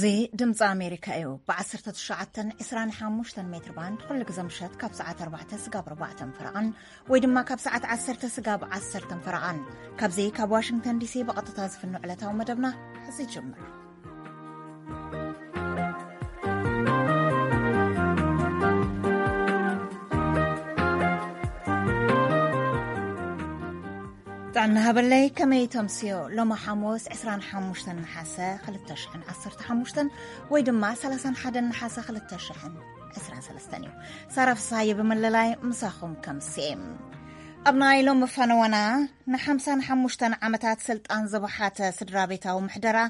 እዚ ድምፂ ኣሜሪካ እዩ። ብ19 25 ሜትር ባንድ ኩሉ ግዜ ምሸት ካብ ሰዓት 4 ስጋብ 4 ፈረቓን ወይ ድማ ካብ ሰዓት 10 ስጋብ 10 ፈረቓን፣ ካብዚ ካብ ዋሽንግተን ዲሲ ብቐጥታ ዝፍኖ ዕለታዊ መደብና ሕዚ ይጅምር። ጥዕና ሃበለይ፣ ከመይ ተምስዮ? ሎሚ ሓሙስ 25 ነሓሰ 2015 ወይ ድማ 31 ነሓሰ 2023 እዩ። ሳራ ፍስሃየ ብምልላይ ምሳኹም ከምስኤ። ኣብ ናይ ሎሚ ፈነወና፣ ን55 ዓመታት ስልጣን ዝበሓተ ስድራ ቤታዊ ምሕደራ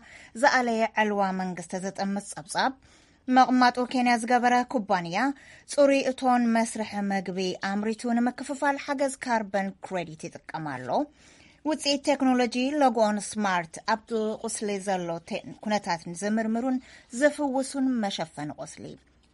ዝኣለየ ዕልዋ መንግስቲ ዘጠምት ጸብጻብ፣ መቕማጡ ኬንያ ዝገበረ ኩባንያ ጽሩይ እቶን መስርሒ መግቢ ኣምሪቱ ንምክፍፋል ሓገዝ ካርበን ክሬዲት ይጥቀም ኣሎ። ውፅኢት ቴክኖሎጂ ሎጎኦን ስማርት ኣብቲ ቁስሊ ዘሎ ቴ-፣ ኩነታት ንዝምርምሩን ዝፍውሱን መሸፈኒ ቁስሊ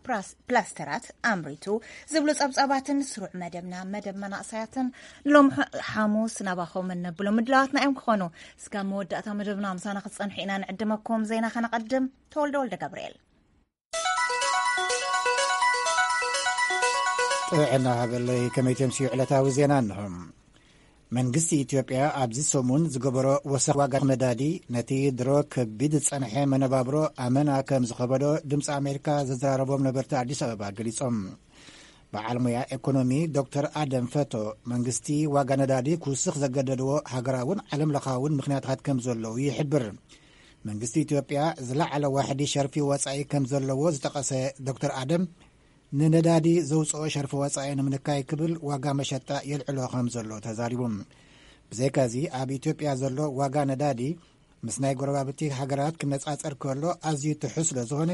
ፕላስ-፣ ፕላስተራት ኣምሪቱ ዝብሉ ጸብጻባትን ስሩዕ መደብና መደብ መናእሰያትን ሎም ሓ-፣ ሓሙስ ናባኹም እንብሎ ምድላዋትና እዮም ክኾኑ። እስካብ መወዳእታ መደብና ምሳና ክትጸንሑ ኢና ንዕድመኩም። ዜና ከነቐድም። ተወልደ ወልደ ገብርኤል። ጥዕና ሃበለይ፣ ከመይ ተምስዩ ዕለታዊ ዜና እንሆ። መንግስቲ ኢትዮጵያ ኣብዚ ሰሙን ዝገበሮ ወሰኽ ዋጋ ነዳዲ ነቲ ድሮ ከቢድ ዝጸንሐ መነባብሮ ኣመና ከም ዝኸበዶ ድምፂ ኣሜሪካ ዘዘራረቦም ነበርቲ ኣዲስ ኣበባ ገሊጾም። በዓል ሞያ ኤኮኖሚ ዶክተር ኣደም ፈቶ፣ መንግስቲ ዋጋ ነዳዲ ክውስኽ ዘገደድዎ ሃገራውን ዓለም ለኻውን ምኽንያታት ከም ዘለዉ ይሕብር። መንግስቲ ኢትዮጵያ ዝለዓለ ዋሕዲ ሸርፊ ወጻኢ ከም ዘለዎ ዝጠቐሰ ዶክተር ኣደም፣ ንነዳዲ ዘውፅኦ ሸርፊ ወጻኢ ንምንካይ ክብል ዋጋ መሸጣ የልዕሎ ከም ዘሎ ተዛሪቡ። ብዘይካዚ ኣብ ኢትዮጵያ ዘሎ ዋጋ ነዳዲ ምስ ናይ ጎረባብቲ ሃገራት ክነጻጸር ከሎ ኣዝዩ ትሑት ስለ ዝኾነ፣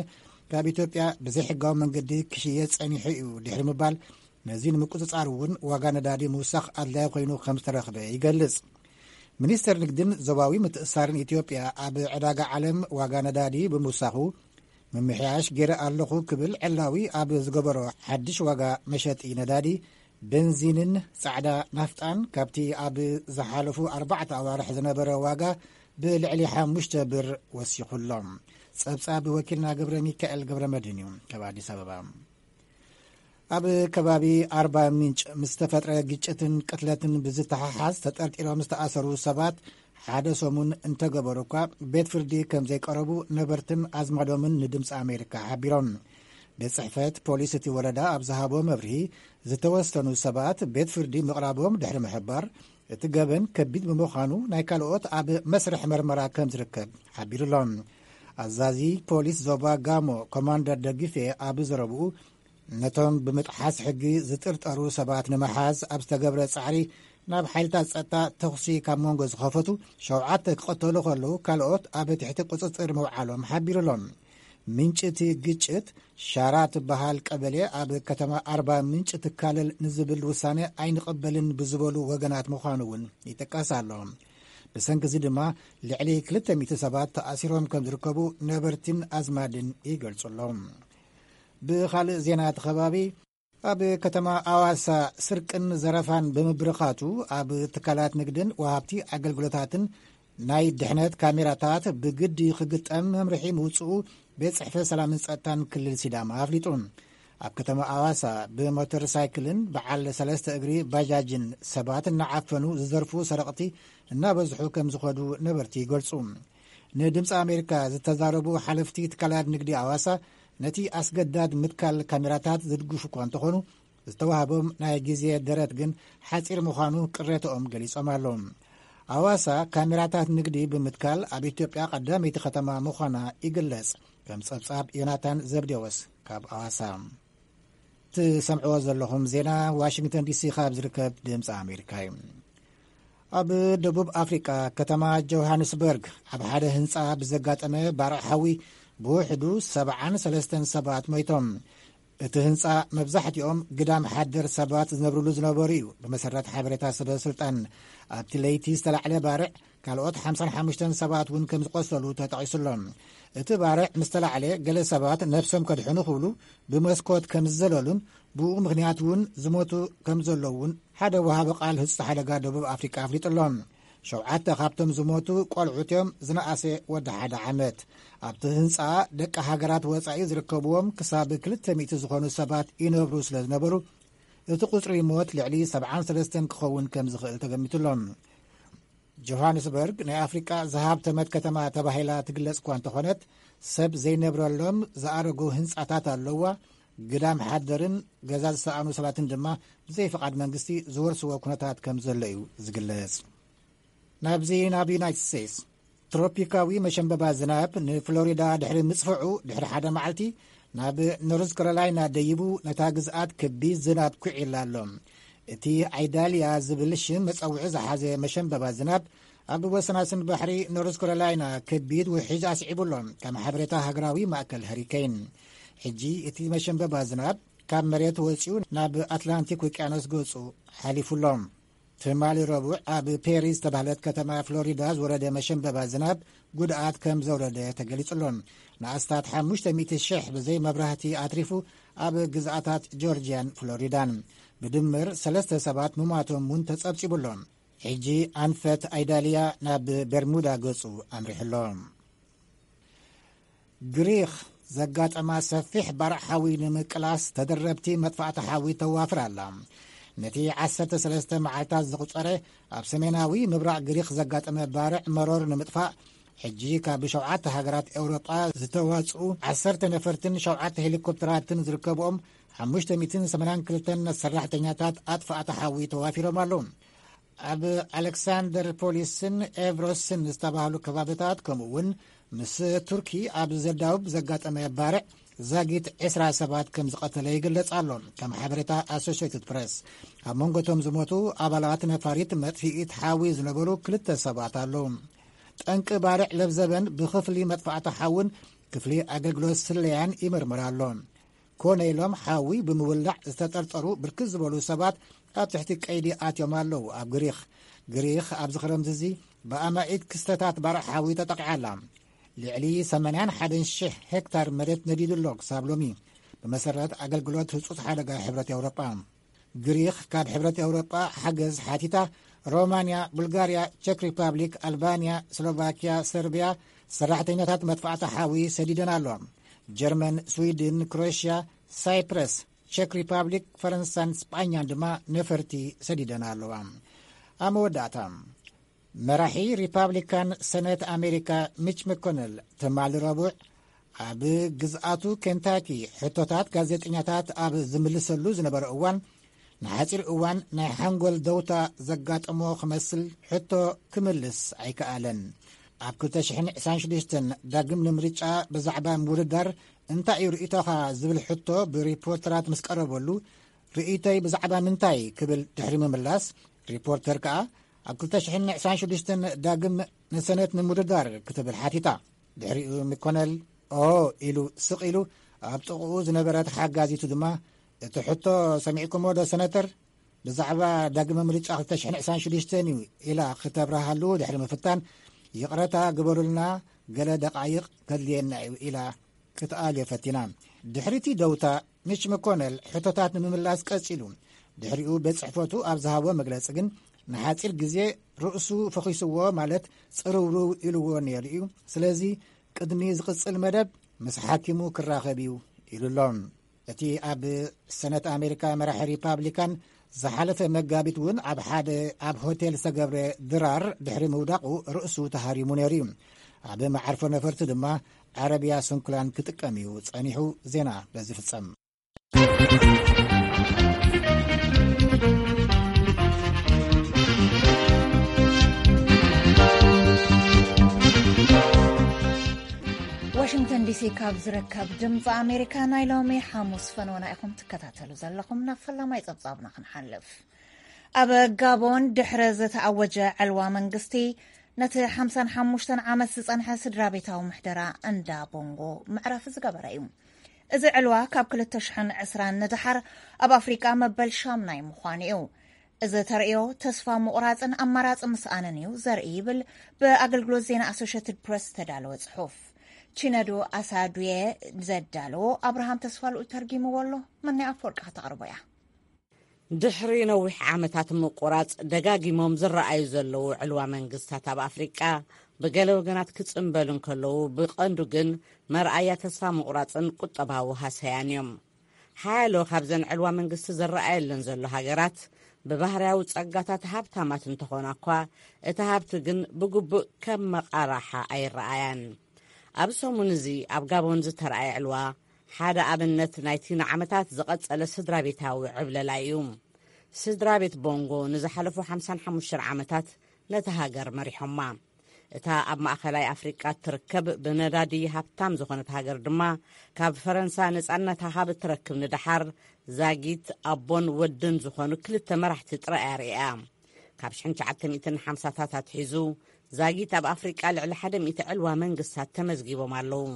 ካብ ኢትዮጵያ ብዘይሕጋዊ መንገዲ ክሽየጥ ጸኒሑ እዩ ድሕሪ ምባል፣ ነዚ ንምቁጽጻር እውን ዋጋ ነዳዲ ምውሳኽ ኣድላዪ ኮይኑ ከም ዝተረኽበ ይገልጽ። ሚኒስተር ንግድን ዞባዊ ምትእስሳርን ኢትዮጵያ ኣብ ዕዳጋ ዓለም ዋጋ ነዳዲ ብምውሳኹ፣ ምምሕያሽ ገይረ ኣለኹ ክብል ዕላዊ ኣብ ዝገበሮ ሓድሽ ዋጋ መሸጢ ነዳዲ፣ ቤንዚንን ጻዕዳ ናፍጣን ካብቲ ኣብ ዝሓለፉ ኣርባዕተ ኣዋርሕ ዝነበረ ዋጋ ብልዕሊ ሓሙሽተ ብር ወሲኹ ኣሎ። ጸብጻብ ወኪልና ገብረ ሚካኤል ገብረ መድህን እዩ ካብ ኣዲስ ኣበባ። ኣብ ከባቢ ኣርባ ምንጭ ምስ ተፈጥረ ግጭትን ቅትለትን ብዝተሓሓዝ ተጠርጢሮም ዝተኣሰሩ ሰባት ሓደ ሰሙን እንተገበሩ እኳ ቤት ፍርዲ ከም ዘይቀረቡ ነበርትን ኣዝማዶምን ንድምፂ ኣሜሪካ ሓቢሮም። ቤት ጽሕፈት ፖሊስ እቲ ወረዳ ኣብ ዝሃቦ መብርሂ፣ ዝተወሰኑ ሰባት ቤት ፍርዲ ምቕራቦም ድሕሪ ምሕባር፣ እቲ ገበን ከቢድ ብምዃኑ ናይ ካልኦት ኣብ መስርሕ መርመራ ከም ዝርከብ ሓቢሩ ኣሎ። ኣዛዚ ፖሊስ ዞባ ጋሞ ኮማንደር ደግፌ ኣብ ዘረብኡ፣ ነቶም ብምጥሓስ ሕጊ ዝጥርጠሩ ሰባት ንምሓዝ ኣብ ዝተገብረ ጻዕሪ፣ ናብ ሓይልታት ጸጥታ ተኹሲ ካብ መንጎ ዝኸፈቱ ሸውዓተ ክቐተሉ ከለዉ፣ ካልኦት ኣብ ትሕቲ ቁጽጽር ምውዓሎም ሓቢሩ ኣሎ። ምንጪ እቲ ግጭት ሻራ ትበሃል ቀበሌ ኣብ ከተማ ኣርባ ምንጭ ትካለል ንዝብል ውሳነ ኣይንቕበልን ብዝበሉ ወገናት ምዃኑ እውን ይጥቀስ ኣሎ። ብሰንኪ እዚ ድማ ልዕሊ ክልተ ሚእቲ ሰባት ተኣሲሮም ከም ዝርከቡ ነበርትን ኣዝማድን ይገልጹ ኣለዉ። ብኻልእ ዜና እቲ ከባቢ፣ ኣብ ከተማ ኣዋሳ ስርቅን ዘረፋን ብምብርኻቱ፣ ኣብ ትካላት ንግድን ወሃብቲ ኣገልግሎታትን ናይ ድሕነት ካሜራታት ብግዲ ክግጠም መምርሒ ምውፅኡ ቤት ጽሕፈት ሰላምን ጸጥታን ክልል ሲዳማ ኣፍሊጡ። ኣብ ከተማ ኣዋሳ ብሞተር ሳይክልን በዓል ሰለስተ እግሪ ባጃጅን ሰባት እናዓፈኑ ዝዘርፉ ሰረቕቲ እናበዝሑ ከም ዝኸዱ ነበርቲ ይገልጹ። ንድምፂ ኣሜሪካ ዝተዛረቡ ሓለፍቲ ትካላት ንግዲ ኣዋሳ፣ ነቲ ኣስገዳድ ምትካል ካሜራታት ዝድግፉ እኳ እንተኾኑ፣ ዝተዋህቦም ናይ ግዜ ደረት ግን ሓፂር ምዃኑ ቅሬታኦም ገሊጾም ኣለዉ። ኣዋሳ ካሜራታት ንግዲ ብምትካል ኣብ ኢትዮጵያ ቀዳመይቲ ከተማ ምዃና ይግለጽ። ከም ጸብጻብ ዮናታን ዘብዴዎስ ካብ ኣዋሳ። ትሰምዕዎ ዘለኹም ዜና ዋሽንግተን ዲሲ ካብ ዝርከብ ድምፂ ኣሜሪካ እዩ። ኣብ ደቡብ ኣፍሪቃ ከተማ ጆሃንስበርግ ኣብ ሓደ ህንፃ ብዘጋጠመ ባርዕ ሓዊ ብውሕዱ 73 ሰባት ሞይቶም። እቲ ህንፃ መብዛሕትኦም ግዳም ሓደር ሰባት ዝነብርሉ ዝነበሩ እዩ። ብመሰረት ሓበሬታ ሰበ ስልጣን፣ ኣብቲ ለይቲ ዝተላዕለ ባርዕ ካልኦት ሓምሳን ሓሙሽተን ሰባት እውን ከም ዝቆሰሉ ተጠቒሱ ኣሎ። እቲ ባርዕ ምስ ተላዕለ፣ ገለ ሰባት ነብሶም ከድሕኑ ክብሉ ብመስኮት ከም ዝዘለሉን ብኡ ምኽንያት እውን ዝሞቱ ከም ዘለዉ እውን ሓደ ወሃቢ ቃል ህጹጽ ሓደጋ ደቡብ ኣፍሪቃ ኣፍሊጡ ኣሎ። ሸውዓተ ካብቶም ዝሞቱ ቆልዑት እዮም፣ ዝነኣሰ ወዲ ሓደ ዓመት። ኣብቲ ህንጻ ደቂ ሃገራት ወጻኢ ዝርከብዎም ክሳብ ክልተ ሚእቲ ዝኾኑ ሰባት ይነብሩ ስለ ዝነበሩ፣ እቲ ቁጽሪ ሞት ልዕሊ ሰብዓን ሰለስተን ክኸውን ከም ዝኽእል ተገሚቱ ኣሎ። ጆሃንስበርግ ናይ ኣፍሪቃ ዝሃብተመት ከተማ ተባሂላ ትግለጽ እኳ እንተኾነት፣ ሰብ ዘይነብረሎም ዝኣረጉ ህንጻታት ኣለዋ። ግዳም ሓደርን ገዛ ዝሰኣኑ ሰባትን ድማ ብዘይ ፍቓድ መንግስቲ ዝወርስዎ ኩነታት ከም ዘሎ እዩ ዝግለጽ። ናብዚ ናብ ዩናይትድ ስቴትስ፣ ትሮፒካዊ መሸንበባ ዝናብ ንፍሎሪዳ ድሕሪ ምጽፍዑ፣ ድሕሪ ሓደ መዓልቲ ናብ ኖርዝ ካሮላይና ደይቡ፣ ነታ ግዝኣት ከቢድ ዝናብ ኩዒላ ኣሎ። እቲ ኣይዳልያ ዝብል ሽም መጸውዒ ዝሓዘ መሸንበባ ዝናብ ኣብ ወሰናስን ባሕሪ ኖርዝ ካሮላይና ከቢድ ውሕጅ ኣስዒቡ ኣሎ፣ ከም ሓበሬታ ሃገራዊ ማእከል ሃሪኬን። ሕጂ እቲ መሸንበባ ዝናብ ካብ መሬት ወጺኡ ናብ ኣትላንቲክ ውቅያኖስ ገጹ ሓሊፉ ኣሎ። ትማሊ ረቡዕ ኣብ ፔሪ ዝተባህለት ከተማ ፍሎሪዳ ዝወረደ መሸንበባ ዝናብ ጉድኣት ከም ዘውረደ ተገሊጹ ኣሎ። ንኣስታት ሓሙሽተ ሚእቲ ሽሕ ብዘይ መብራህቲ ኣትሪፉ፣ ኣብ ግዝኣታት ጆርጅያን ፍሎሪዳን ብድምር ሰለስተ ሰባት ምሟቶም እውን ተጸብጺቡ ኣሎ። ሕጂ ኣንፈት ኣይዳልያ ናብ በርሙዳ ገጹ ኣምሪሑ ኣሎ። ግሪኽ ዘጋጠማ ሰፊሕ ባርዕ ሓዊ ንምቅላስ ተደረብቲ መጥፋእቲ ሓዊ ተዋፍር ኣላ። ነቲ ዓሰርተ ሰለስተ መዓልታት ዘቑጸረ ኣብ ሰሜናዊ ምብራቕ ግሪኽ ዘጋጠመ ባርዕ መሮር ንምጥፋእ፣ ሕጂ ካብ ሸውዓተ ሃገራት ኤውሮጳ ዝተዋጽኡ ዓሰርተ ነፈርትን ሸውዓተ ሄሊኮፕተራትን ዝርከብኦም ሓሙሽተ ሚእትን ሰማንያን ክልተን ሰራሕተኛታት ኣጥፋእቲ ሓዊ ተዋፊሮም ኣለዉ። ኣብ ኣሌክሳንደር ፖሊስን ኤቭሮስን ዝተባህሉ ከባቢታት፣ ከምኡ እውን ምስ ቱርኪ ኣብ ዘዳውብ ዘጋጠመ ባርዕ ዛጊት ዕስራ ሰባት ከም ዝቐተለ ይግለጽ ኣሎ። ከም ሓበሬታ ኣሶሽየትድ ፕረስ፣ ኣብ መንጎ እቶም ዝሞቱ ኣባላት ነፋሪት መጥፍኢት ሓዊ ዝነበሩ ክልተ ሰባት ኣለዉ። ጠንቂ ባርዕ ለብዘበን ብክፍሊ መጥፋእቲ ሓውን ክፍሊ ኣገልግሎት ስለያን ይምርምር ኣሎ። ኮነ ኢሎም ሓዊ ብምውላዕ ዝተጠርጠሩ ብርክት ዝበሉ ሰባት ኣብ ትሕቲ ቀይዲ ኣትዮም ኣለዉ። ኣብ ግሪኽ፣ ግሪኽ ኣብዚ ክረምቲ እዚ ብኣማኢት ክስተታት ባርዕ ሓዊ ተጠቂዓ ኣላ። ልዕሊ ሰማንያን ሓደን ሽሕ ሄክታር መሬት ነዲዱ ኣሎ ክሳብ ሎሚ፣ ብመሰረት ኣገልግሎት ህጹጽ ሓደጋ ሕብረት ኤውሮጳ። ግሪኽ ካብ ሕብረት ኤውሮጳ ሓገዝ ሓቲታ፣ ሮማንያ፣ ቡልጋርያ፣ ቸክ ሪፓብሊክ፣ ኣልባንያ፣ ስሎቫኪያ፣ ሰርቢያ ሰራሕተኛታት መጥፋእቲ ሓዊ ሰዲደን ኣለዋ። ጀርመን፣ ስዊድን፣ ክሮኤሽያ፣ ሳይፕረስ፣ ቸክ ሪፓብሊክ፣ ፈረንሳን ስጳኛን ድማ ነፈርቲ ሰዲደን ኣለዋ። ኣብ መወዳእታ፣ መራሒ ሪፓብሊካን ሰነት ኣሜሪካ ሚች መኮነል ትማሊ ረቡዕ ኣብ ግዝኣቱ ኬንታኪ ሕቶታት ጋዜጠኛታት ኣብ ዝምልሰሉ ዝነበረ እዋን፣ ንሓጺር እዋን ናይ ሓንጎል ደውታ ዘጋጠሞ ክመስል ሕቶ ክምልስ ኣይከኣለን። ኣብ ክልተ ሽሕን ዕስራን ሽዱሽተን ዳግም ንምርጫ ብዛዕባ ምውድዳር እንታይ እዩ ርእይቶኻ ዝብል ሕቶ ብሪፖርተራት ምስ ቀረበሉ፣ ርእይቶይ ብዛዕባ ምንታይ ክብል ድሕሪ ምምላስ፣ ሪፖርተር ከኣ ኣብ ክልተ ሽሕን ዕስራን ሽዱሽተን ዳግም ንሰነት ንምውድዳር ክትብል ሓቲታ። ድሕሪኡ ሚኮነል ኦ ኢሉ ስቕ ኢሉ፣ ኣብ ጥቕኡ ዝነበረት ሓጋዚቱ ድማ፣ እቲ ሕቶ ሰሚዕኩሞ ዶ ሰነተር? ብዛዕባ ዳግመ ምርጫ ክልተ ሽሕን ዕስራን ሽዱሽተን እዩ ኢላ ክተብርሃሉ ድሕሪ ምፍታን፣ ይቕረታ ግበሩልና፣ ገለ ደቓይቕ ከድልየና እዩ ኢላ ክትኣልዮ ፈቲና። ድሕሪቲ ደውታ፣ ሚች መኮነል ሕቶታት ንምምላስ ቀጺሉ። ድሕሪኡ ቤት ጽሕፈቱ ኣብ ዝሃቦ መግለጺ ግን፣ ንሓጺር ግዜ ርእሱ ፈኺስዎ፣ ማለት ጽርውርው ኢልዎ ነይሩ እዩ። ስለዚ ቅድሚ ዝቕጽል መደብ ምስ ሓኪሙ ክራኸብ እዩ ኢሉ ኣሎ። እቲ ኣብ ሰነት ኣሜሪካ መራሒ ሪፓብሊካን ዝሓለፈ መጋቢት እውን ኣብ ሓደ ኣብ ሆቴል ዝተገብረ ድራር ድሕሪ ምውዳቑ ርእሱ ተሃሪሙ ነይሩ እዩ። ኣብ መዓርፎ ነፈርቲ ድማ ዓረብያ ስንኩላን ክጥቀም እዩ ጸኒሑ። ዜና በዚ ፍጸም። ዋሽንግተን ዲሲ ካብ ዝርከብ ድምፂ ኣሜሪካ ናይ ሎሚ ሓሙስ ፈነወና ኢኹም ትከታተሉ ዘለኹም። ናብ ፈላማይ ጸብጻብና ክንሓልፍ። ኣብ ጋቦን ድሕሪ ዝተኣወጀ ዕልዋ መንግስቲ፣ ነቲ ሓምሳን ሓሙሽተን ዓመት ዝጸንሐ ስድራ ቤታዊ ምሕደራ እንዳ ቦንጎ መዕረፊ ዝገበረ እዩ። እዚ ዕልዋ ካብ ክልተ ሽሕን ዕስራን ንደሓር ኣብ ኣፍሪቃ መበል ሻምናይ ምዃኑ እዩ። እዚ ተርእዮ ተስፋ ምቑራጽን ኣማራጺ ምስኣንን እዩ ዘርኢ ይብል ብኣገልግሎት ዜና ኣሶሽየትድ ፕረስ ዝተዳለወ ጽሑፍ። ቺነዶ ኣሳዱየ ዘዳለዎ ኣብርሃም ተስፋ ልኡል ተርጊምዎ ኣሎ። መናይ ኣፈወርቂ ከተቕርቦ እያ። ድሕሪ ነዊሕ ዓመታት ምቁራጽ፣ ደጋጊሞም ዝረኣዩ ዘለዉ ዕልዋ መንግስታት ኣብ ኣፍሪቃ፣ ብገለ ወገናት ክጽንበሉ እንከለዉ፣ ብቐንዱ ግን መርኣያ ተስፋ ምቑራጽን ቁጠባዊ ሃሰያን እዮም። ሓያሎ ካብዘን ዕልዋ መንግስቲ ዝረኣየለን ዘሎ ሃገራት፣ ብባህርያዊ ጸጋታት ሃብታማት እንተኾና እኳ፣ እቲ ሃብቲ ግን ብግቡእ ከም መቓራሓ ኣይረኣያን። ኣብ ሰሙን እዚ ኣብ ጋቦን ዝተረኣየ ዕልዋ፣ ሓደ ኣብነት ናይቲ ንዓመታት ዝቐጸለ ስድራ ቤታዊ ዕብለላ እዩ። ስድራ ቤት ቦንጎ ንዝሓለፉ ሓምሳን ሓሙሽተን ዓመታት ነቲ ሃገር መሪሖማ። እታ ኣብ ማእኸላይ ኣፍሪቃ እትርከብ ብነዳዲ ሃብታም ዝኾነት ሃገር ድማ፣ ካብ ፈረንሳ ነጻነታ ካብ እትረክብ ንደሓር፣ ዛጊት ኣቦን ወድን ዝኾኑ ክልተ መራሕቲ ጥራይ ኣርእያ። ካብ ሽሕን ትሽዓተ ሚእትን ሓምሳታት ኣትሒዙ፣ ዛጊት ኣብ ኣፍሪቃ ልዕሊ ሓደ ሚእቲ ዕልዋ መንግስታት ተመዝጊቦም ኣለዉ።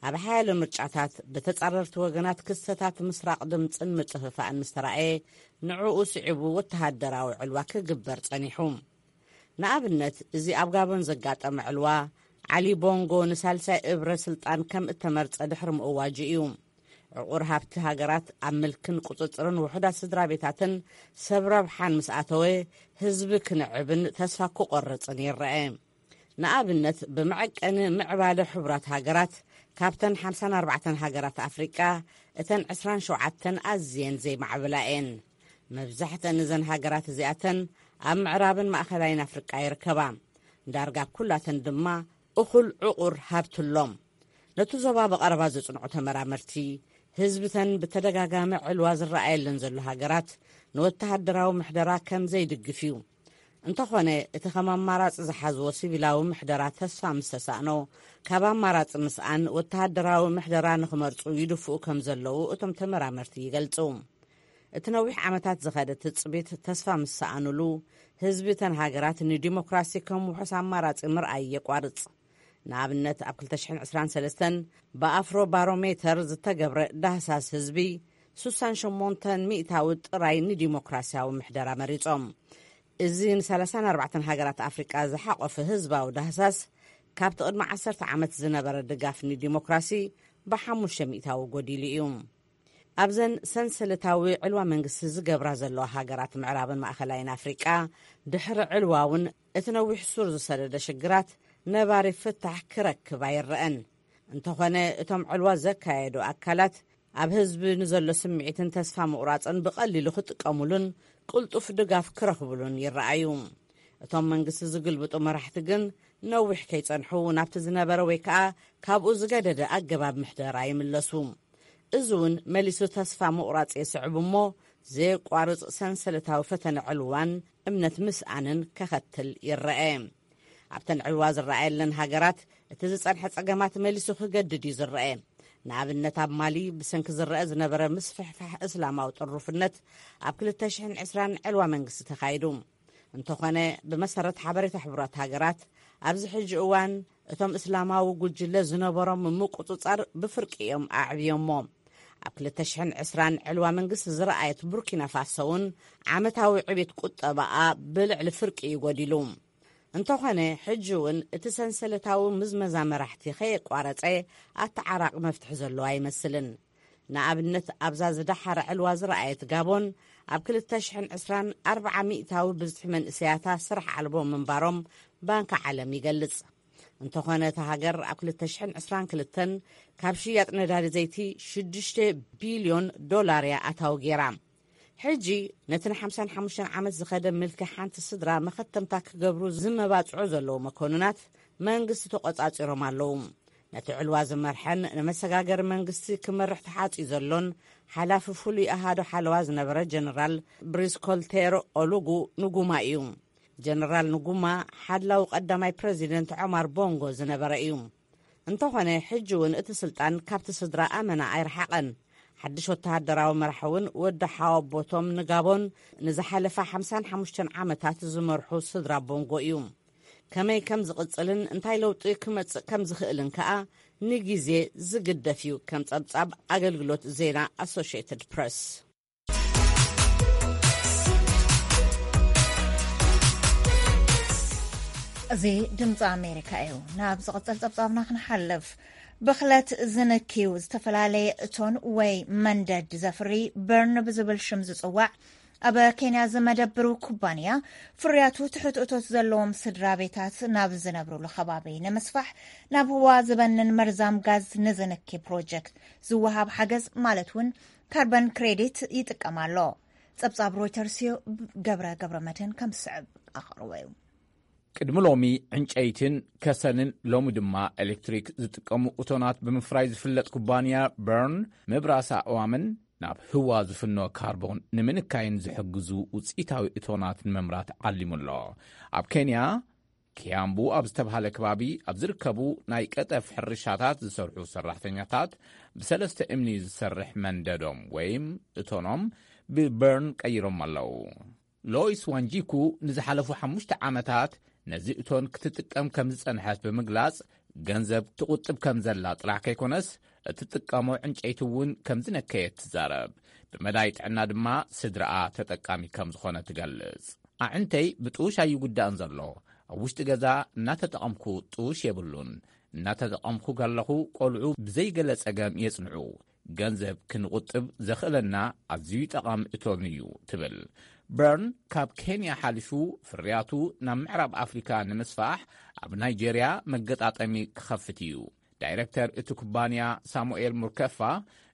ኣብ ሓያሎ ምርጫታት፣ ብተጻረርቲ ወገናት ክስተታት ምስራቕ ድምጽን ምጥፍፋእን ምስ ተራእየ፣ ንዕኡ ስዒቡ ወተሃደራዊ ዕልዋ ክግበር ጸኒሑ። ንኣብነት፣ እዚ ኣብ ጋቦን ዘጋጠመ ዕልዋ፣ ዓሊ ቦንጎ ንሳልሳይ እብረ ስልጣን ከም እተመርጸ ድሕሪ ምእዋጁ እዩ። ዕቑር ሃብቲ ሃገራት ኣብ ምልክን ቁጽጽርን ውሑዳት ስድራ ቤታትን ሰብ ረብሓን ምስ ኣተወ፣ ህዝቢ ክንዕብን ተስፋ ክቖርጽን ይረአ። ንኣብነት፣ ብመዐቀኒ ምዕባለ ሕቡራት ሃገራት፣ ካብተን ሓምሳን ኣርባዕተን ሃገራት ኣፍሪቃ፣ እተን ዕስራን ሸውዓተን ኣዝየን ዘይማዕበላ እየን። መብዛሕተን እዘን ሃገራት እዚኣተን ኣብ ምዕራብን ማእኸላይን ኣፍሪቃ ይርከባ። ዳርጋ ኩላተን ድማ እኹል ዕቑር ሃብቲ ኣሎም። ነቲ ዞባ ብቐረባ ዘጽንዑ ተመራመርቲ፣ ህዝብተን ብተደጋጋሚ ዕልዋ ዝረኣየለን ዘሎ ሃገራት ንወተሃደራዊ ምሕደራ ከም ዘይድግፍ እዩ። እንተኾነ፣ እቲ ከም ኣማራጺ ዝሓዝዎ ሲቪላዊ ምሕደራ ተስፋ ምስ ተሳእኖ፣ ካብ ኣማራጺ ምስኣን ወተሃደራዊ ምሕደራ ንኽመርጹ ይድፍኡ ከም ዘለዉ እቶም ተመራመርቲ ይገልጹ። እቲ ነዊሕ ዓመታት ዝኸደ ትጽቢት ተስፋ ምስ ሰኣኑሉ፣ ህዝቢ እተን ሃገራት ንዲሞክራሲ ከም ውሑስ ኣማራጺ ምርኣይ የቋርጽ። ንኣብነት፣ ኣብ ክልተ ሽሕን ዕስራን ሰለስተን ብኣፍሮ ባሮሜተር ዝተገብረ ዳህሳስ ህዝቢ፣ ስሳን ሸሞንተን ሚእታዊ ጥራይ ንዲሞክራሲያዊ ምሕደራ መሪጾም። እዚ ንሰላሳን ኣርባዕተን ሃገራት ኣፍሪቃ ዝሓቖፈ ህዝባዊ ዳህሳስ፣ ካብቲ ቅድሚ ዓሰርተ ዓመት ዝነበረ ድጋፍ ንዲሞክራሲ ብሓሙሽተ ሚእታዊ ጎዲሉ እዩ። ኣብዘን ሰንሰለታዊ ዕልዋ መንግስቲ ዝገብራ ዘለዋ ሃገራት ምዕራብን ማእኸላይን ኣፍሪቃ፣ ድሕሪ ዕልዋ እውን እቲ ነዊሕ ሱር ዝሰደደ ሽግራት ነባሪ ፍታሕ ክረክብ ኣይረአን። እንተኾነ፣ እቶም ዕልዋ ዘካየዱ ኣካላት ኣብ ህዝቢ ንዘሎ ስምዒትን ተስፋ ምቑራጽን ብቐሊሉ ክጥቀሙሉን ቅልጡፍ ድጋፍ ክረኽቡሉን ይረኣዩ። እቶም መንግስቲ ዝግልብጡ መራሕቲ ግን፣ ነዊሕ ከይጸንሑ ናብቲ ዝነበረ ወይ ከኣ ካብኡ ዝገደደ ኣገባብ ምሕደራ ይምለሱ። እዚ እውን መሊሱ ተስፋ ምቑራጽ የስዕብ እሞ፣ ዘየቋርጽ ሰንሰለታዊ ፈተነ ዕልዋን እምነት ምስኣንን ከኸትል ይረአ። ኣብተን ዕልዋ ዝረኣየለን ሃገራት፣ እቲ ዝጸንሐ ጸገማት መሊሱ ክገድድ እዩ ዝረአ። ንኣብነት፣ ኣብ ማሊ ብሰንኪ ዝረአ ዝነበረ ምስፍሕፋሕ እስላማዊ ጥሩፍነት፣ ኣብ ክልተ ሽሕን ዕስራን ዕልዋ መንግስቲ ተኻይዱ። እንተኾነ፣ ብመሰረት ሓበሬታ ሕቡራት ሃገራት፣ ኣብዚ ሕጂ እዋን እቶም እስላማዊ ጉጅለ ዝነበሮም ምቁጽጻር ብፍርቂ እዮም ኣዕብዮሞ። ኣብ ክልተ ሽሕን ዕስራን ዕልዋ መንግስቲ ዝረኣየት ቡርኪና ፋሶ እውን፣ ዓመታዊ ዕቤት ቁጠባኣ ብልዕሊ ፍርቂ እዩ ጎዲሉ። እንተኾነ፣ ሕጂ እውን እቲ ሰንሰለታዊ ምዝመዛ መራሕቲ ከየቋረጸ ኣተዓራቒ መፍትሒ ዘለዎ ኣይመስልን። ንኣብነት፣ ኣብዛ ዝደሓረ ዕልዋ ዝረኣየት ጋቦን፣ ኣብ ክልተ ሽሕን ዕስራን ኣርብዓ ሚእታዊ ብዝሒ መንእሰያታ ስራሕ ኣልቦ ምንባሮም ባንኪ ዓለም ይገልጽ። እንተኾነ፣ እታ ሃገር ኣብ ክልተ ሽሕን ዕስራን ክልተን ካብ ሽያጥ ነዳዲ ዘይቲ ሽዱሽተ ቢልዮን ዶላር እያ ኣታዊ ገይራ። ሕጂ፣ ነቲ ንሓምሳን ሓሙሽተን ዓመት ዝኸደ ምልኪ ሓንቲ ስድራ መኸተምታ ክገብሩ ዝመባጽዑ ዘለዉ መኮንናት መንግስቲ ተቖጻጺሮም ኣለዉ። ነቲ ዕልዋ ዝመርሐን ንመሰጋገሪ መንግስቲ ክመርሕ ተሓጽዩ ዘሎን ሓላፊ ፍሉይ ኣሃዱ ሓለዋ ዝነበረ ጀነራል ብሪስኮልቴሮ ኦሉጉ ንጉማ እዩ። ጀነራል ንጉማ፣ ሓላዊ ቀዳማይ ፕረዚደንት ዖማር ቦንጎ ዝነበረ እዩ። እንተኾነ፣ ሕጂ እውን እቲ ስልጣን ካብቲ ስድራ ኣመና ኣይረሓቐን። ሓድሽ ወተሃደራዊ መራሒ እውን፣ ወዲ ሓወቦቶም ንጋቦን ንዝሓለፋ ሓምሳን ሓሙሽተን ዓመታት ዝመርሑ ስድራ ቦንጎ እዩ። ከመይ ከም ዝቕጽልን እንታይ ለውጢ ክመጽእ ከም ዝኽእልን ከኣ ንግዜ ዝግደፍ እዩ፣ ከም ጸብጻብ ኣገልግሎት ዜና ኣሶሽየትድ ፕረስ። እዚ ድምፂ ኣሜሪካ እዩ። ናብ ዝቕጽል ጸብጻብና ክንሓልፍ፣ ብኽለት ዝንክዩ ዝተፈላለየ እቶን ወይ መንደድ ዘፍሪ በርን ብዝብል ሽም ዝጽዋዕ ኣብ ኬንያ ዝመደብሩ ኩባንያ ፍርያቱ ትሑት እቶት ዘለዎም ስድራ ቤታት ናብ ዝነብሩሉ ከባቢ ንምስፋሕ ናብ ህዋ ዝበንን መርዛም ጋዝ ንዝንኪ ፕሮጀክት ዝወሃብ ሓገዝ ማለት እውን ካርበን ክሬዲት ይጥቀም ኣሎ። ጸብጻብ ሮይተርስ እዩ። ገብረ ገብረ መድህን ከም ዝስዕብ ኣቕርቦ እዩ። ቅድሚ ሎሚ ዕንጨይትን ከሰልን ሎሚ ድማ ኤሌክትሪክ ዝጥቀሙ እቶናት ብምፍራይ ዝፍለጥ ኩባንያ በርን ምብራስ ኣእዋምን ናብ ህዋ ዝፍኖ ካርቦን ንምንካይን ዝሕግዙ ውፅኢታዊ እቶናት ንምምራት ዓሊሙ ኣሎ። ኣብ ኬንያ ኪያምቡ ኣብ ዝተብሃለ ከባቢ ኣብ ዝርከቡ ናይ ቀጠፍ ሕርሻታት ዝሰርሑ ሰራሕተኛታት ብሰለስተ እምኒ ዝሰርሕ መንደዶም ወይም እቶኖም ብበርን ቀይሮም ኣለዉ። ሎይስ ዋንጂኩ ንዝሓለፉ ሓሙሽተ ዓመታት ነዚ እቶን ክትጥቀም ከም ዝጸንሐት ብምግላጽ፣ ገንዘብ ትቑጥብ ከም ዘላ ጥራሕ ከይኮነስ፣ እትጥቀሞ ዕንጨይቲ እውን ከም ዝነከየት ትዛረብ። ብመዳይ ጥዕና ድማ ስድራኣ ተጠቃሚ ከም ዝኾነ ትገልጽ። ኣዕንተይ ብጥውሽ ኣይጉዳእን ዘሎ። ኣብ ውሽጢ ገዛ እናተጠቐምኩ ጥውሽ የብሉን። እናተጠቐምኩ ከለኹ ቆልዑ ብዘይገለ ጸገም የጽንዑ። ገንዘብ ክንቑጥብ ዘኽእለና ኣዝዩ ጠቓሚ እቶን እዩ ትብል። በርን ካብ ኬንያ ሓሊፉ ፍርያቱ ናብ ምዕራብ ኣፍሪካ ንምስፋሕ ኣብ ናይጄርያ መገጣጠሚ ክኸፍት እዩ። ዳይረክተር እቲ ኩባንያ ሳሙኤል ሙርከፋ፣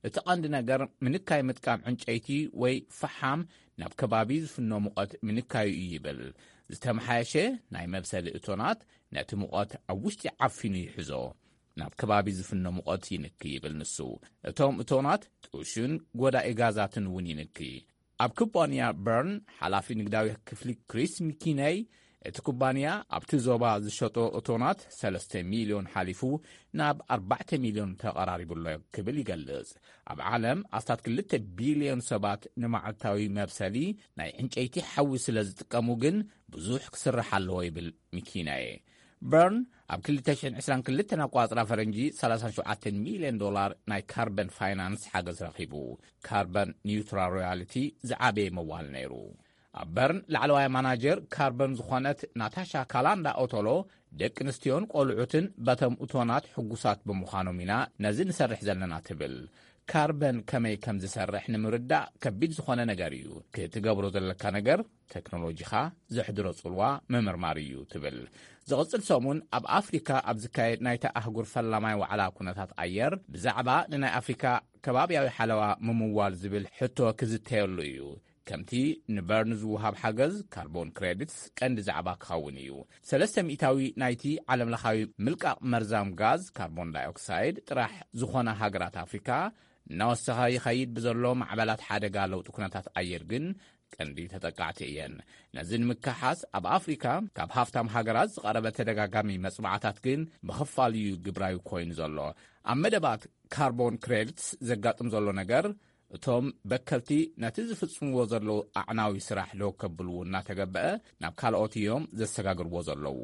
እቲ ቀንዲ ነገር ምንካይ ምጥቃም ዕንጨይቲ ወይ ፈሓም ናብ ከባቢ ዝፍኖ ሙቐት ምንካዩ እዩ ይብል። ዝተመሓየሸ ናይ መብሰሊ እቶናት ነቲ ሙቐት ኣብ ውሽጢ ዓፊኑ ይሕዞ፣ ናብ ከባቢ ዝፍኖ ሙቐት ይንኪ ይብል ንሱ። እቶም እቶናት ጥሹን ጎዳኢ ጋዛትን እውን ይንኪ። ኣብ ኩባንያ በርን ሓላፊ ንግዳዊ ክፍሊ ክሪስ ሚኪነይ፣ እቲ ኩባንያ ኣብቲ ዞባ ዝሸጦ እቶናት ሰለስተ ሚልዮን ሓሊፉ ናብ ኣርባዕተ ሚልዮን ተቐራሪቡ ኣሎ ክብል ይገልጽ። ኣብ ዓለም ኣስታት ክልተ ቢልዮን ሰባት ንመዓልታዊ መብሰሊ ናይ ዕንጨይቲ ሓዊ ስለ ዝጥቀሙ ግን ብዙሕ ክስራሕ ኣለዎ ይብል ሚኪነይ። በርን ኣብ ክልተ ሽሕን ዕስራን ክልተን ኣቋጽራ ፈረንጂ ሰላሳን ሸውዓተን ሚልዮን ዶላር ናይ ካርበን ፋይናንስ ሓገዝ ረኺቡ። ካርበን ኒውትራል ሮያልቲ ዝዓበየ መዋል ነይሩ። ኣብ በርን ላዕለዋይ ማናጀር ካርበን ዝኾነት ናታሻ ካላንዳ ኦቶሎ፣ ደቂ ኣንስትዮን ቆልዑትን በቶም እቶናት ሕጉሳት ብምዃኖም ኢና ነዚ ንሰርሕ ዘለና ትብል። ካርበን ከመይ ከም ዝሰርሕ ንምርዳእ ከቢድ ዝኾነ ነገር እዩ። ክትገብሮ ዘለካ ነገር ቴክኖሎጂኻ ዘሕድሮ ጽልዋ ምምርማር እዩ ትብል። ዝቕጽል ሰሙን ኣብ ኣፍሪካ ኣብ ዝካየድ ናይታ ኣህጉር ፈላማይ ዋዕላ ኩነታት ኣየር ብዛዕባ ንናይ ኣፍሪካ ከባብያዊ ሓለዋ ምምዋል ዝብል ሕቶ ክዝተየሉ እዩ። ከምቲ ንበርን ዝወሃብ ሓገዝ ካርቦን ክሬዲትስ ቀንዲ ዛዕባ ክኸውን እዩ። ሰለስተ ሚእታዊ ናይቲ ዓለምለኻዊ ምልቃቕ መርዛም ጋዝ ካርቦን ዳይኦክሳይድ ጥራሕ ዝኾና ሃገራት ኣፍሪካ እናወሰኸ ይኸይድ ብዘሎ ማዕበላት ሓደጋ ለውጢ ኩነታት ኣየር ግን ቀንዲ ተጠቃዕቲ እየን። ነዚ ንምክሓስ ኣብ ኣፍሪካ ካብ ሃፍታም ሃገራት ዝቐረበ ተደጋጋሚ መጽናዕታት ግን ብኽፋል እዩ ግብራዊ ኮይኑ ዘሎ። ኣብ መደባት ካርቦን ክሬዲትስ ዘጋጥም ዘሎ ነገር፣ እቶም በከልቲ ነቲ ዝፍጽምዎ ዘለዉ ኣዕናዊ ስራሕ ደው ከብልዎ እናተገበአ ናብ ካልኦት እዮም ዘሰጋግርዎ ዘለዉ።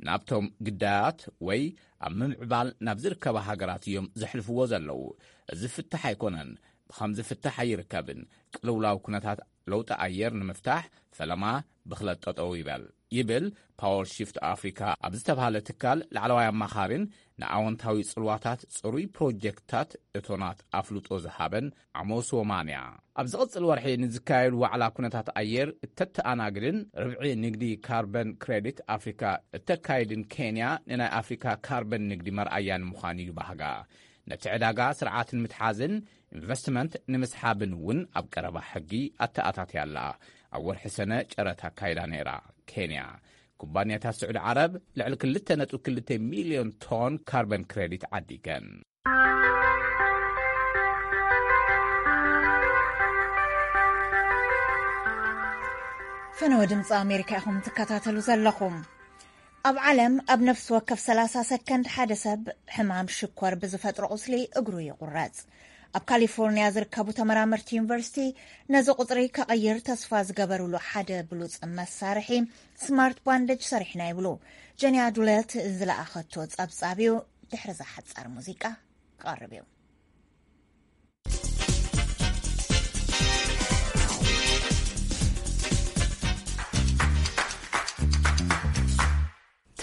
ናብቶም ግዳያት ወይ ኣብ ምምዕባል ናብ ዝርከባ ሃገራት እዮም ዘሕልፍዎ ዘለዉ። እዚ ፍታሕ ኣይኮነን፣ ብኸምዚ ፍታሕ ኣይርከብን። ቅልውላው ኩነታት ለውጢ ኣየር ንምፍታሕ ፈለማ ብኽለት ጠጠው ይበል ይብል ፓወር ሺፍት ኣፍሪካ ኣብ ዝተባህለ ትካል ላዕለዋይ ኣማኻሪን ንኣወንታዊ ጽልዋታት ጽሩይ ፕሮጀክትታት እቶናት ኣፍልጦ ዝሃበን ዓሞስ ወማንያ። ኣብ ዝቕጽል ወርሒ ንዝካየድ ዋዕላ ኩነታት ኣየር እተተኣናግድን ርብዒ ንግዲ ካርበን ክሬዲት ኣፍሪካ እተካይድን ኬንያ ንናይ ኣፍሪካ ካርበን ንግዲ መርኣያ ንምዃን እዩ ባህጋ። ነቲ ዕዳጋ ስርዓት ንምትሓዝን ኢንቨስትመንት ንምስሓብን እውን ኣብ ቀረባ ሕጊ ኣተኣታትያ ኣላ። ኣብ ወርሒ ሰነ ጨረታ ኣካይዳ ነይራ። ኬንያ፣ ኩባንያታት ስዑዲ ዓረብ ልዕሊ ክልተ ነጥቢ ክልተ ሚልዮን ቶን ካርበን ክሬዲት ዓዲገን። ፈነወ ድምፂ ኣሜሪካ ኢኹም ትከታተሉ ዘለኹም። ኣብ ዓለም ኣብ ነፍሲ ወከፍ ሰላሳ ሰከንድ ሓደ ሰብ ሕማም ሽኮር ብዝፈጥሮ ቁስሊ እግሩ ይቑረጽ። ኣብ ካሊፎርኒያ ዝርከቡ ተመራመርቲ ዩኒቨርሲቲ ነዚ ቁጽሪ ከቐይር ተስፋ ዝገበሩሉ ሓደ ብሉጽ መሳርሒ ስማርት ባንደጅ ሰሪሕና ይብሉ። ጀንያ ዱለት ዝለኣኸቶ ጸብጻብ እዩ። ድሕሪ እዛ ሓጻር ሙዚቃ ክቐርብ እዩ።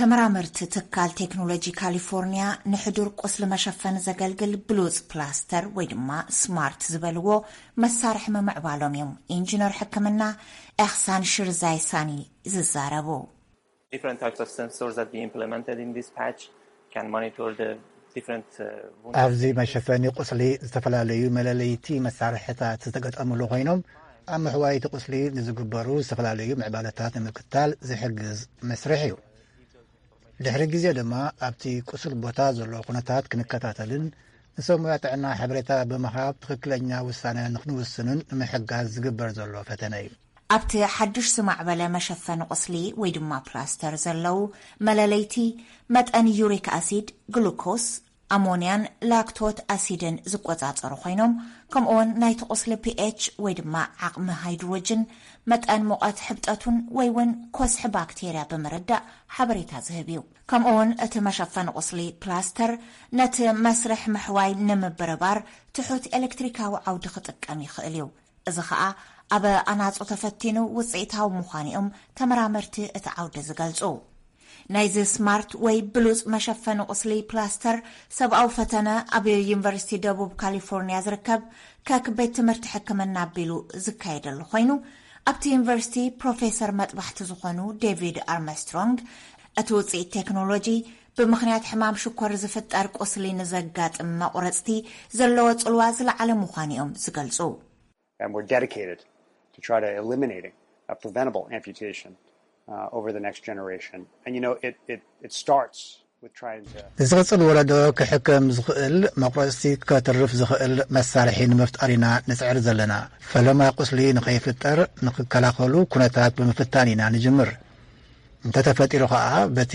ተመራመርቲ ትካል ቴክኖሎጂ ካሊፎርኒያ ንሕዱር ቁስሊ መሸፈኒ ዘገልግል ብሉጽ ፕላስተር ወይ ድማ ስማርት ዝበልዎ መሳርሒ ምምዕባሎም እዮም ኢንጂነር ሕክምና ኤኽሳን ሽርዛይሳኒ ዝዛረቡ። Different types of sensors that we implemented in this patch can monitor the different uh, wound ኣብዚ መሸፈኒ ቁስሊ ዝተፈላለዩ መለለይቲ መሳርሕታት ዝተገጠምሉ ኮይኖም፣ ኣብ ምሕዋይ እቲ ቁስሊ ንዝግበሩ ዝተፈላለዩ ምዕባለታት ንምክታል ዝሕግዝ መስርሕ እዩ። ድሕሪ ግዜ ድማ ኣብቲ ቁስል ቦታ ዘሎ ኩነታት ክንከታተልን ንሰብ ሙያ ጥዕና ሓበሬታ ብምሃብ ትኽክለኛ ውሳነ ንክንውስንን ንምሕጋዝ ዝግበር ዘሎ ፈተነ እዩ። ኣብቲ ሓድሽ ዝማዕበለ መሸፈኒ ቁስሊ ወይ ድማ ፕላስተር ዘለዉ መለለይቲ መጠን ዩሪክ ኣሲድ፣ ግሉኮስ፣ ኣሞንያን ላክቶት ኣሲድን ዝቆጻጸሩ ኮይኖም፣ ከምኡውን ናይቲ ቁስሊ ፒኤች ወይ ድማ ዓቕሚ ሃይድሮጅን፣ መጠን ሙቐት፣ ሕብጠቱን ወይ እውን ኮስሒ ባክቴርያ ብምርዳእ ሓበሬታ ዝህብ እዩ። ከምኡውን እቲ መሸፈኒ ቁስሊ ፕላስተር ነቲ መስርሕ ምሕዋይ ንምብርባር ትሑት ኤሌክትሪካዊ ዓውዲ ክጥቀም ይኽእል እዩ። እዚ ኸኣ ኣብ ኣናጹ ተፈቲኑ ውጽኢታዊ ምዃኑ እዮም ተመራመርቲ እቲ ዓውዲ ዝገልጹ። ናይዚ ስማርት ወይ ብሉጽ መሸፈኒ ቁስሊ ፕላስተር ሰብኣዊ ፈተነ ኣብ ዩኒቨርሲቲ ደቡብ ካሊፎርኒያ ዝርከብ ከክ ቤት ትምህርቲ ሕክምና ኣቢሉ ዝካየደሉ ኮይኑ፣ ኣብቲ ዩኒቨርሲቲ ፕሮፌሰር መጥባሕቲ ዝኾኑ ዴቪድ ኣርመስትሮንግ፣ እቲ ውጽኢት ቴክኖሎጂ ብምኽንያት ሕማም ሽኮር ዝፍጠር ቁስሊ ንዘጋጥም መቑረጽቲ ዘለዎ ጽልዋ ዝለዓለ ምዃኑ እዮም ዝገልጹ። And we're dedicated to try to eliminating a preventable amputation uh, over the next generation. And you know, it, it, it starts with trying to ንዝቕጽል ወለዶ ክሕከም ዝኽእል መቑረጽቲ ከተርፍ ዝኽእል መሳርሒ ንምፍጣር ኢና ንጽዕር ዘለና። ፈለማ ቁስሊ ንኸይፍጠር ንኽከላኸሉ ኩነታት ብምፍታን ኢና ንጅምር። እንተተፈጢሩ ኸኣ በቲ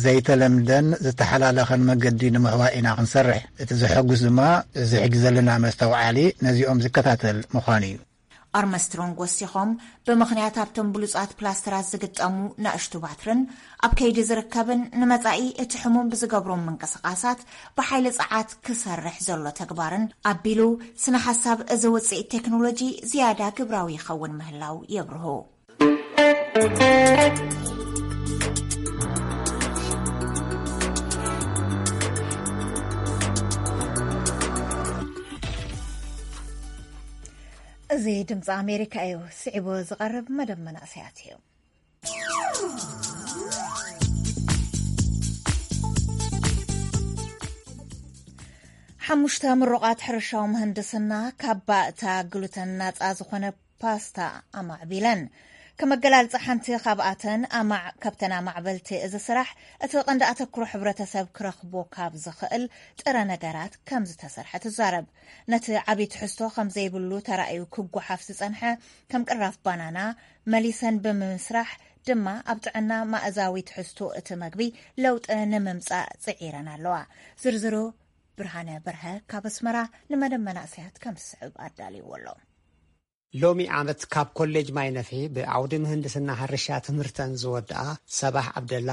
ዘይተለምደን ዝተሓላለኸን መገዲ ንምሕዋይ ኢና ክንሰርሕ። እቲ ዘሐጉስ ድማ እዚ ሕጂ ዘለና መስተውዓሊ ነዚኦም ዝከታተል ምዃኑ እዩ። ኣርምስትሮንግ ወሲኾም፣ ብምኽንያት ኣብቶም ብሉጻት ፕላስተራት ዝግጠሙ ናእሽቱ ባትርን ኣብ ከይዲ ዝርከብን ንመጻኢ እቲ ሕሙም ብዝገብሮም ምንቅስቓሳት ብሓይሊ ጸዓት ክሰርሕ ዘሎ ተግባርን ኣቢሉ፣ ስነ ሓሳብ እዚ ውጽኢት ቴክኖሎጂ ዝያዳ ግብራዊ ይኸውን ምህላው የብርሁ። እዚ ድምፂ ኣሜሪካ እዩ። ስዒቡ ዝቐርብ መደብ መናእሰያት እዩ። ሓሙሽተ ምሩቓት ሕርሻዊ ምህንድስና ካብ ባእታ ግሉተን ናፃ ዝኾነ ፓስታ ኣማዕቢለን። ከም ኣገላልፃ ሓንቲ ካብኣተን ኣማዕ-፣ ካብተን ኣማዕበልቲ እዚ ስራሕ እቲ ቀንዲ ኣተክሮ ሕብረተሰብ ክረኽቦ ካብ ዝኽእል ጥረ ነገራት ከም ዝተሰርሐ ትዛረብ። ነቲ ዓብዪ ትሕዝቶ ከም ዘይብሉ ተራእዩ ክጓሓፍ ዝጸንሐ ከም ቅራፍ ባናና መሊሰን ብምስራሕ ድማ ኣብ ጥዕና ማእዛዊ ትሕዝቶ እቲ መግቢ ለውጢ ንምምጻእ ጽዒረን ኣለዋ። ዝርዝሩ ብርሃነ በርሀ ካብ ኣስመራ ንመደብ መናእሰያት ከም ዝስዕብ ኣዳልይዎ ኣሎ። ሎሚ ዓመት ካብ ኮሌጅ ማይ ነፍሒ ብዓውዲ ምህንድስና ሕርሻ ትምህርተን ዝወድኣ ሰባሕ ዓብደላ፣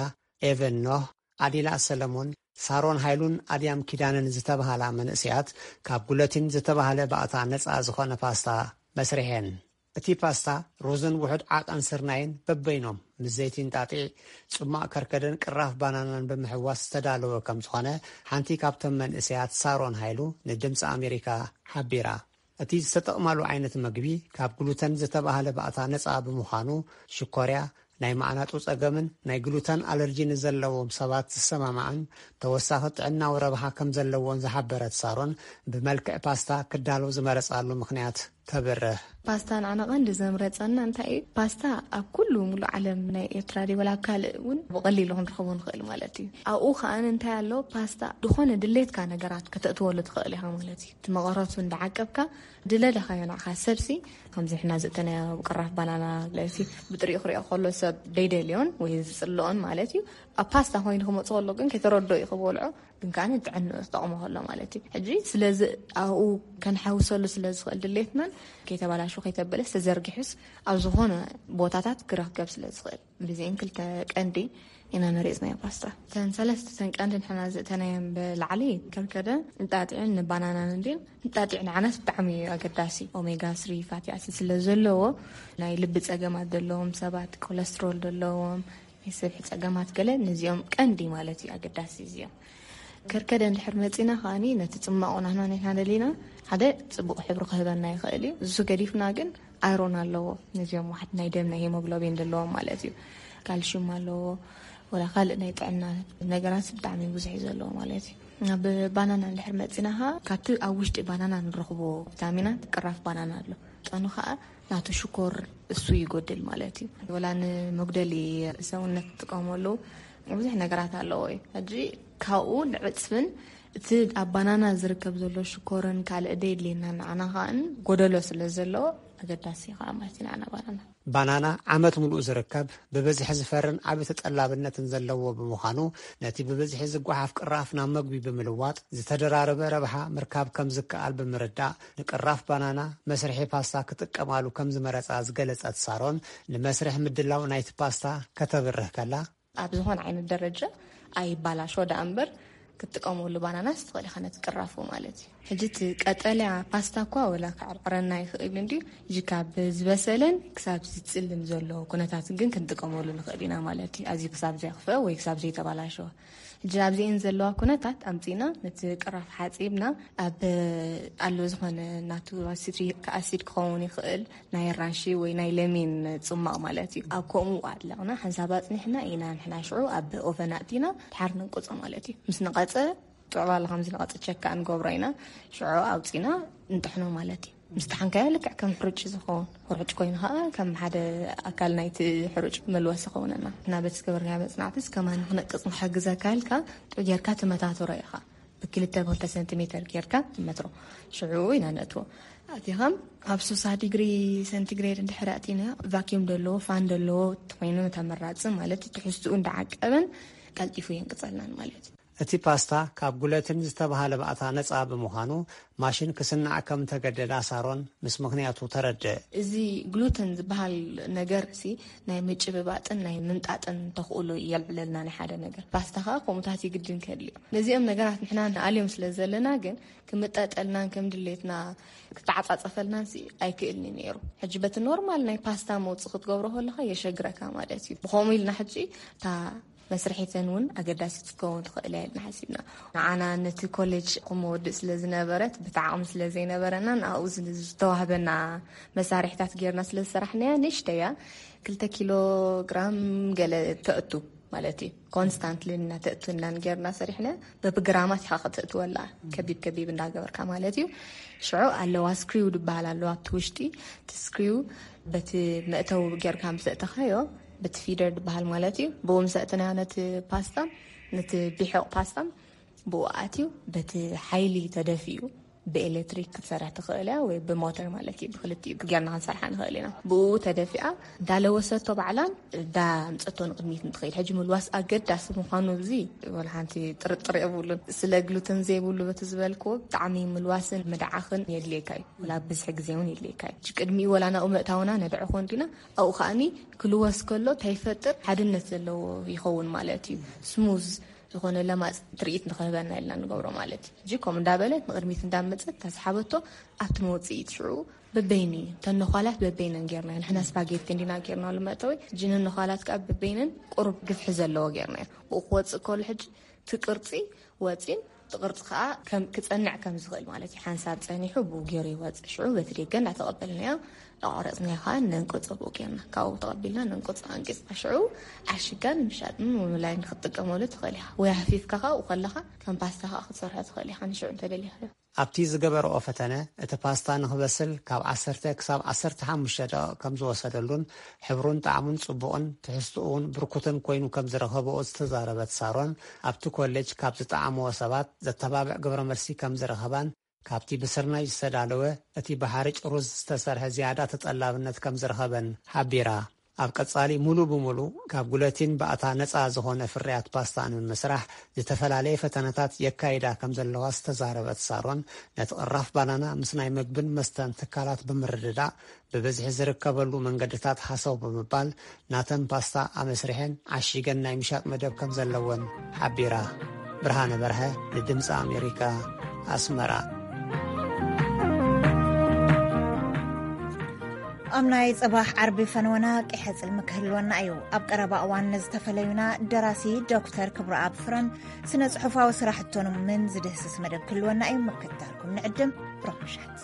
ኤቨን ኖህ፣ ኣዲላ ሰለሞን፣ ሳሮን ሃይሉን ኣድያም ኪዳነን ዝተባህላ መንእሰያት ካብ ጉለቲን ዝተባህለ ባእታ ነጻ ዝኾነ ፓስታ መስሪሐን። እቲ ፓስታ ሩዝን ውሑድ ዓቐን ስርናይን በበይኖም ምስ ዘይቲ እንጣጢዕ፣ ጽማቕ ከርከደን ቅራፍ ባናናን ብምሕዋስ ዝተዳለወ ከም ዝኾነ ሓንቲ ካብቶም መንእሰያት ሳሮን ሃይሉ ንድምፂ ኣሜሪካ ሓቢራ። እቲ ዝተጠቕማሉ ዓይነት መግቢ ካብ ግሉተን ዝተባህለ ባእታ ነጻ ብምዃኑ ሽኮርያ፣ ናይ ማዕናጡ ጸገምን ናይ ግሉተን ኣለርጂ ንዘለዎም ሰባት ዝሰማማዕን ተወሳኺ ጥዕናዊ ረብሓ ከም ዘለዎን ዝሓበረት ሳሮን፣ ብመልክዕ ፓስታ ክዳሎ ዝመረጻሉ ምኽንያት ተብርህ። ፓስታ ንዓና ቀንዲ ዘምረጸና እንታይ እዩ? ፓስታ ኣብ ኩሉ ሙሉእ ዓለም ናይ ኤርትራ ድዩ ወላ ኣብ ካልእ እውን ብቐሊሉ ክንረኽቦ ንኽእል ማለት እዩ። ኣብኡ ከኣ እንታይ ኣሎ? ፓስታ ዝኾነ ድሌትካ ነገራት ከተእትወሉ ትኽእል ኢኻ ማለት እዩ። እቲ መቐረቱ እንዳዓቀብካ ድለደኻዮ ንዓኻ ሰብሲ፣ ከምዚ ሕና ዝእተናዮ ቅራፍ ባናና ለሲ ብጥሪኡ ክሪኦ ከሎ ሰብ ደይደልዮን ወይ ዝጽልኦን ማለት እዩ። ኣብ ፓስታ ኮይኑ ክመጽእ ከሎ ግን ከይተረድኦ እዩ ክበልዖ፣ ግን ከኣ ጥዕንኡ ክጠቕሞ ከሎ ማለት እዩ። ሕጂ ስለዚ ኣብኡ ከንሓውሰሉ ስለ ዝኽእል ድሌትናን ከይተባላሹ ከይተበለስ ተዘርጊሑስ ኣብ ዝኾነ ቦታታት ክረክብ ስለ ዝኽእል ብዚአን ክልተ ቀንዲ ኢና መሪጽናዮ ፓስታ። እተን ሰለስተ እተን ቀንዲ ንሕና ዝእተናየን ብላዕሊ ከርከደ፣ እንጣጢዕን ንባናናን እንድን። እንጣጢዕ ንዓናስ ብጣዕሚ እዩ ኣገዳሲ። ኦሜጋ ስሪ ፋቲ ኣሲድ ስለ ዘለዎ ናይ ልቢ ጸገማት ዘለዎም ሰባት፣ ኮለስትሮል ዘለዎም፣ ናይ ስብሒ ጸገማት ገለ ነዚኦም ቀንዲ ማለት እዩ ኣገዳሲ እዚኦም። ከርከደ እንድሕር መጺና ከኣኒ ነቲ ጽማቑ ናህና ንሕና ደሊና ሓደ ጽቡቕ ሕብሪ ክህበና ይኽእል እዩ። እሱ ገዲፍና ግን ኣይሮን ኣለዎ። ነዚኦም ዋሕድ ናይ ደም ናይ ሄሞግሎቢን ዘለዎም ማለት እዩ። ካልሽዩም ኣለዎ። ወላ ካልእ ናይ ጥዕና ነገራት ብጣዕሚ ብዙሕ እዩ ዘለዎ ማለት እዩ። ኣብ ባናና እንድሕር መጺና ከኣ ካብቲ ኣብ ውሽጢ ባናና ንረኽቦ ቪታሚናት ቅራፍ ባናና ኣሎ። ጠኑ ከኣ ናቱ ሽኮር እሱ ይጎድል ማለት እዩ። ወላ ንመጉደሊ ሰውነት ትጥቀመሉ ብዙሕ ነገራት ኣለዎ እዩ። ሕጂ ካብኡ ንዕፅፍን እቲ ኣብ ባናና ዝርከብ ዘሎ ሽኮርን ካልእ ደየድልየና ንዓና ከኣን ጎደሎ ስለ ዘሎ ኣገዳሲ ከኣ ማለት እዩ ንዓና ባናና። ባናና ዓመት ምሉእ ዝርከብ ብብዝሒ ዝፈርን ዓቢ ተጠላብነትን ዘለዎ ብምዃኑ ነቲ ብብዝሒ ዝጓሓፍ ቅራፍ ናብ መግቢ ብምልዋጥ ዝተደራረበ ረብሓ ምርካብ ከም ዝከኣል ብምርዳእ ንቅራፍ ባናና መስርሒ ፓስታ ክጥቀማሉ ከም ዝመረጻ ዝገለጸት ሳሮን ንመስርሕ ምድላው ናይቲ ፓስታ ከተብርህ ከላ ኣብ ዝኾነ ዓይነት ደረጃ ኣይባላሾ ደኣ እምበር ክትጥቀመሉ ባናናስ ትኽእል ኢኻ ነቲ ቅራፉ ማለት እዩ። ሕጂ እቲ ቀጠልያ ፓስታ እኳ ወላ ክዕርዕረና ይኽእል እንድዩ። ሕጂ ካብ ዝበሰለን ክሳብ ዝጽልም ዘሎ ኩነታት ግን ክንጥቀመሉ ንኽእል ኢና ማለት እዩ። ኣዝዩ ክሳብ ዘየኽፍአ ወይ ክሳብ ዘይተባላሸወ። ሕጂ ኣብዚኤን ዘለዋ ኩነታት ኣምጺእና ነቲ ቅራፍ ሓጺብና ኣብ ኣሎ ዝኾነ ናቱ ሲትሪክ ኣሲድ ክኸውን ይኽእል ናይ ኣራንሺ ወይ ናይ ለሚን ጽማቕ ማለት እዩ። ኣብ ከምኡ ኣለቕና ሓንሳብ ኣጽኒሕና ኢና ንሕና ሽዑ ኣብ ኦቨን ኣእቲና ድሓር ነንቅጾ ማለት እዩ። ምስ ነቐጸ ጥዕባለ ከም ዝነቐጸ ቸካ እንገብሮ ኢና። ሽዑ ኣውጺና እንጥሕኖ ማለት እዩ። ምስ ጠሓንካዮ ልክዕ ከም ሕሩጭ ዝኸውን፣ ሕሩጭ ኮይኑ ኸዓ ከም ሓደ ኣካል ናይቲ ሕሩጭ መልወሲ ይኸውነና። እና በቲ ዝገበርናዮ መጽናዕትስ ከማን ክነቅጽ ንክሕግዘካ ኢልካ ጥዑይ ጌርካ ትመታትሮ ኢኻ። ብክልተ ብክልተ ሰንቲሜተር ጌርካ ትመትሮ። ሽዑ ኢና ነእትዎ። ኣቲኻ ኣብ ሶሳ ዲግሪ ሰንቲግሬድ እንድሕር ኣእቲና ቫኪዩም ደለዎ፣ ፋን ደለዎ ተኾይኑ ተመራጺ ማለት እዩ። ትሕዝትኡ እንዳዓቀበን ቀልጢፉ የንቅጸልናን ማለት እዩ። እቲ ፓስታ ካብ ጉለትን ዝተባህለ ባእታ ነጻ ብምዃኑ ማሽን ክስናዕ ከም ተገደዳ ሳሮን ምስ ምኽንያቱ ተረድእ። እዚ ግሉተን ዝበሃል ነገር ሲ ናይ ምጭብባጥን ናይ ምምጣጥን ተኽእሎ የልዕለልና ናይ ሓደ ነገር። ፓስታ ኸዓ ከምኡታት ይግድን ከድልዮ። ነዚኦም ነገራት ንሕና ንኣልዮም ስለ ዘለና ግን ክምጠጠልናን ከም ድሌትና ክተዓጻጸፈልናን ሲ ኣይክእልኒ ነይሩ። ሕጂ በቲ ኖርማል ናይ ፓስታ መውጽእ ክትገብሮ ከለኻ የሸግረካ ማለት እዩ። ብኸምኡ ኢልና ሕጂ እታ መስርሒተን እውን ኣገዳሲት ክትከውን ትኽእል እያ ኢልና ሓሲብና። ንዓና ነቲ ኮሌጅ ክመወድእ ስለ ዝነበረት ብቲ ዓቕሚ ስለ ዘይነበረና ንኣኡ ዝ-፣ ዝተዋህበና መሳርሒታት ጌርና ስለ ዝሰራሕናያ ንእሽተያ ክልተ ኪሎ ግራም ገለ ተእቱ ማለት እዩ። ኮንስታንትሊ እናተእቱ እናን ጌርና ሰሪሕና በብግራማት ኢኻ ከተእትወላ ከቢብ ከቢብ እንዳገበርካ ማለት እዩ። ሽዑ ኣለዋ ስክሪው ዝበሃል ኣለዋ ኣብቲ ውሽጢ እቲ ስክሪው በቲ መእተዊ ጌርካ ምስ ኣእተኻዮ በቲ ፊደር ዝበሃል ማለት እዩ። ብኡ ምስ ኣእተናዮ ነቲ ፓስታ ነቲ ቢሕቕ ፓስታ ብኡ ኣትዩ በቲ ሓይሊ ተደፊኡ ብኤሌክትሪክ ክትሰርሕ ትኽእል እያ ወይ ብሞተር ማለት እዩ። ብክልቲኡ ጌርና ክንሰርሓ ንኽእል ኢና። ብኡ ተደፊኣ እንዳለወሰቶ ባዕላን እንዳምፀቶ ንቕድሚት እንትኸይድ። ሕጂ ምልዋስ ኣገዳሲ ምዃኑ እዚ ወላ ሓንቲ ጥርጥር የብሉን። ስለ ግሉተን ዘይብሉ በቲ ዝበልክዎ ብጣዕሚ ምልዋስን ምድዓኽን የድልየካ እዩ። ወላ ብዝሒ ግዜ እውን የድልየካ እዩ። ሕጂ ቅድሚኡ ወላ ናብኡ ምእታውና ነድዕኾ እንዲና ኣብኡ ከኣኒ ክልወስ ከሎ እንታይ ይፈጥር ሓድነት ዘለዎ ይኸውን ማለት እዩ። ስሙዝ ዝኾነ ለማፅ ትርኢት ንክህበና ኢልና ንገብሮ ማለት እዩ። ሕጂ ከምኡ እንዳበለት ንቕድሚት እንዳመፀት እታ ዝሓበቶ ኣብቲ መውፅኢት ሽዑ በበይኑ እዩ። እተን ነዃላት በበይነን ጌርናዮ። ንሕና ስፓጌቲ እንዲና ጌርናሉ መእተዊ። ሕጂ ነነዃላት ከዓ በበይነን ቁሩብ ግፍሒ ዘለዎ ጌርናዮ። ብኡ ክወፅእ ከሎ ሕጂ እቲ ቅርፂ ወፂን እቲ ቅርፂ ከዓ ከም ክፀንዕ ከም ዝኽእል ማለት እዩ። ሓንሳብ ፀኒሑ ብኡ ገይሩ ይወፅእ። ሽዑ በቲ ደገ እንዳተቐበልናዮ ኣቋረፅናዮ ከዓ ነንቅፆ ብኡ ጌርና። ካብኡ ተቐቢልና ነንቅፆ ኣንቂፅና ሽዑ ዓሽጋ ንምሻጥን ንምምላይን ክትጥቀመሉ ትኽእል ኢኻ። ወይ ሃፊፍካ ካብኡ ከለኻ ከም ፓስታ ከዓ ክትሰርሖ ትኽእል ኢኻ ንሽዑ እንተደሊኻዮ። ኣብቲ ዝገበረኦ ፈተነ፣ እቲ ፓስታ ንኽበስል ካብ ዓሰርተ ክሳብ ዓሰርተ ሓሙሽተ ደቂቕ ከም ዝወሰደሉን ሕብሩን ጣዕሙን ጽቡቕን ትሕዝትኡ እውን ብርኩትን ኮይኑ ከም ዝረኸብኦ ዝተዛረበት ሳሮን፣ ኣብቲ ኮሌጅ ካብ ዝጠዓምዎ ሰባት ዘተባብዕ ግብረ መልሲ ከም ዝረኸባን ካብቲ ብስርናይ ዝተዳለወ እቲ ብሓርጭ ሩዝ ዝተሰርሐ ዝያዳ ተጠላብነት ከም ዝረኸበን ሓቢራ። ኣብ ቀጻሊ ሙሉ ብሙሉ ካብ ጉለቲን ባእታ ነጻ ዝኾነ ፍርያት ፓስታ ንምምስራሕ ዝተፈላለየ ፈተነታት የካይዳ ከም ዘለዋ ዝተዛረበት ሳሮን፣ ነቲ ቅራፍ ባናና ምስ ናይ መግብን መስተን ትካላት ብምርድዳእ ብብዝሒ ዝርከበሉ መንገድታት ሃሰው ብምባል ናተን ፓስታ ኣመስሪሐን ዓሺገን ናይ ምሻጥ መደብ ከም ዘለወን ሓቢራ። ብርሃነ በርሀ ንድምፂ ኣሜሪካ ኣስመራ። ኣብ ናይ ጽባሕ ዓርቢ ፈነወና ቂሐ ጽልሚ ክህልወና እዩ። ኣብ ቀረባ እዋን ንዝተፈለዩና ደራሲ ዶክተር ክብረኣብ ፍረን ስነ ጽሑፋዊ ስራሕቶምን ዝድህስስ መደብ ክህልወና እዩ። ምክትታልኩም ንዕድም። ብሩኽ ምሸት።